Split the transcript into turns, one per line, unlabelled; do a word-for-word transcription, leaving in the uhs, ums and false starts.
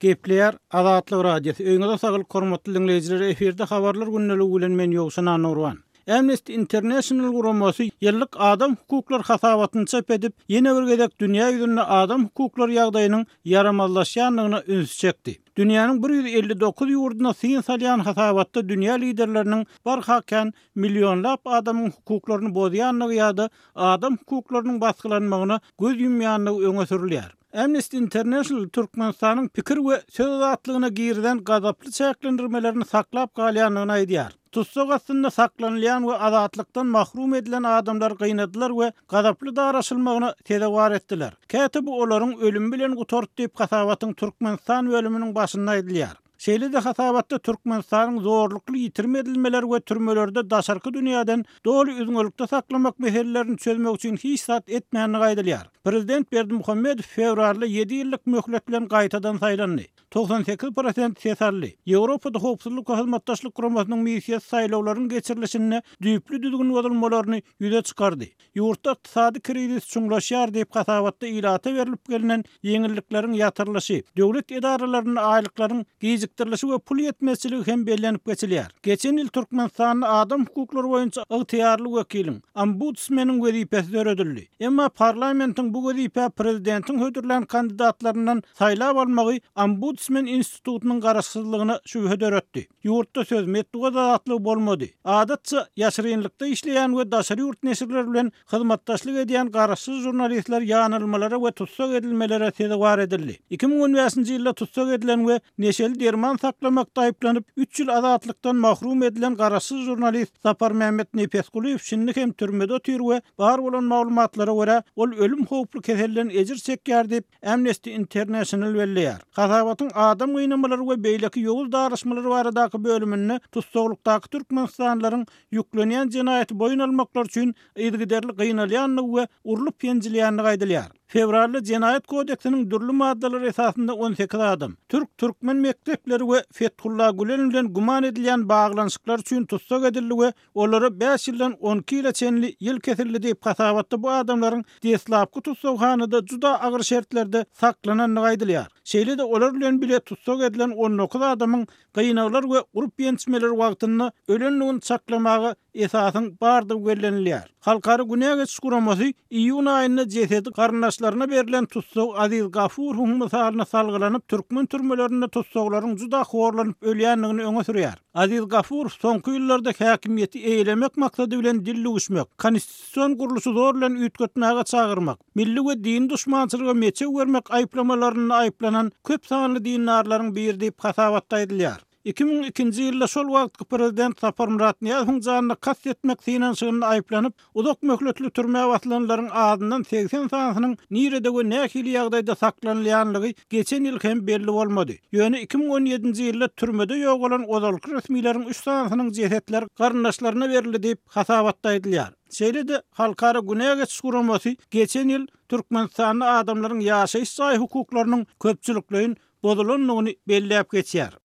Gepleýär Azatlyk Radiosy. Öýüňize saglyk, hormatly diňleýjiler. Efirde habarlar gündeligi bilen men Ýowşan Annagurban. Amnesty International guramasy ýyllyk adam hukuklary hasabatyny çap edip, ýene bir gezek dünýä ýüzünde adam hukuklary ýagdaýynyň ýaramazlaşýandygyna üns çekdi. Dünýäniň bir ýüz elli dokuz ýurduna syn salýan hasabatda dünýä liderleriniň barha kän millionlap adamyň hukuklaryny bozýandygy ýa-da adam hukuklarynyň basgylanmagyna göz ýumýandygy öňe sürülýär. Amnesty International Türkmenistanyň pikir we söz azatlygyna girizen gazaply çäklendirmelerini saklap galýandygyny aýdýar. Tussag astynda saklanylýan we azatlykdan mahrum edilen adamlar gynadylar we gazaply daraşylmagyna sezewar etdiler. Käte bu olaryň ölümi bilen gutardy diýip hasabatyň Türkmenistan bölüminiň başynda aýdylýar. Şeýle-de hasabatda Türkmenistanyň zorlukly ýitirim edilmeler we türmelerde daşarky dünýäden doly üzňelikde saklamak meselelerini çözmek üçin hiç zat etmänligi aýdylýar. Prezident Berdimuhamedow fewralda ýedi ýyllyk möhlet bilen gaýtadan saýlandy. Togsan sekiz prosent ses aldy. Ýewropada howpsuzlyk we hyzmatdaşlyk guramasynyň missiýasy saýlawlaryň geçirilişinde düýpli düzgün bozulmalaryny ýüze çykardy. Ýurtda ykdysady krizis çuňlaşýar diýip hasabatda ilata berilip gelinen ýeňillikleriň ýatyrylyşy, döwlet edaralarynda aýlyklaryň gijikdirilişi we pul ýetmezçiligi hem bellenip geçilýär. Geçen ýyl Türkmenistanda adam hukuklary boýunça ygtyýarly wekiliň, ombudsmeniň wezipesi döredildi. Emma parlamentiň bu wezipä prezidentiň hödürlän kandidatlaryndan saýlap almagy ombudsmen institutynyň garaşsyzlygyna şübhe döretdi. Ýurtda söz metbugat azatlygy bolmady. Adatça ýaşyrynlykda işleýän we daşary ýurt neşirleri bilen hyzmatdaşlyk edýän garaşsyz žurnalistler ýanylmalara we tussag edilmelere sezewar edildi. Iki müň on bäşinji ýylda tussag edilen we neşeli derman saklamakda aýyplanyp, üç ýyl azatlykdan mahrum edilen garaşsyz žurnalist Saparmämmet Nepesgulyýew şindi hem türmede otyr we bar bolan maglumatlara görä, ol ölüm howply keselden ejir çekýär diýip, Amnesty International belleýär. Hasabatyň adam gynamalary we beýleki ýowuz daraşmalary baradaky bölüminde tussaglykdaky türkmenistanlylaryň ýüklenýän jenaýaty boýun almaklar üçin yzygiderli gynalýandygy we urlup ýenjilýändigi aýdylýar. Fewralda Jenaýat kodeksiniň dürli maddalary esasynda on sekiz adam, türk-türkmen mekdepleri we Fethullah Gülen bilen güman edilýän baglanyşyklar üçin tussag edildi we olara bäş ýyldan on iki ýyla çenli ýyl kesildi diýip hasabatda bu adamlaryň deslapky tussaghanada juda agyr şertlerde saklanandygy aýdylýar. Şeýle-de olar bilen bile tussag edilen on dokuz adamyň gynaglar we urup ýençmeler wagtynda ölendigini çaklamaga esasyň bardygy bellenilýär. Halkara günä geçiş guramasy iýun aýynda jesedi garyndaşlaryna berlen tussag Aziz Gafurowyň mysalyna salgylanyp, türkmen türmelerinde tussaglaryň juda horlanyp ölýändigini öňe sürýär. Aziz Gafurow soňky ýyllarda häkimiýeti eýelemek maksady bilen dil düwüşmek, konstitusion gurluşy zor bilen üýtgetmäge çagyrmak, milli we dini duşmançylyga meçew bermek aýyplamalarynda aýyplanan köp sanly dindarlaryň biri diýip hasabatda aýdylýar. Iki müň ikinji ýylda şol wagtky prezident Saparmyrat Nyýazowyň janyna kast etmek synanyşygynda aýyplanyp, uzak möhletli türmä basylanlaryň azyndan segsen sanysynyň nirede we nähili ýagdaýda saklanylýanlygy geçen ýyl hem belli bolmady. Ýöne iki müň on ýedinji ýylda türmede ýogalan ozalky resmileriň üç sanysynyň jesetleri garyndaşlaryna berildi diýip hasabatda aýdylýar. Şeýle-de Halkara günä geçiş guramasy geçen ýyl Türkmenistanda adamlaryň ýaşaýyş jaý hukuklarynyň köpçülikleýin bozulandygyny belläp geçýär.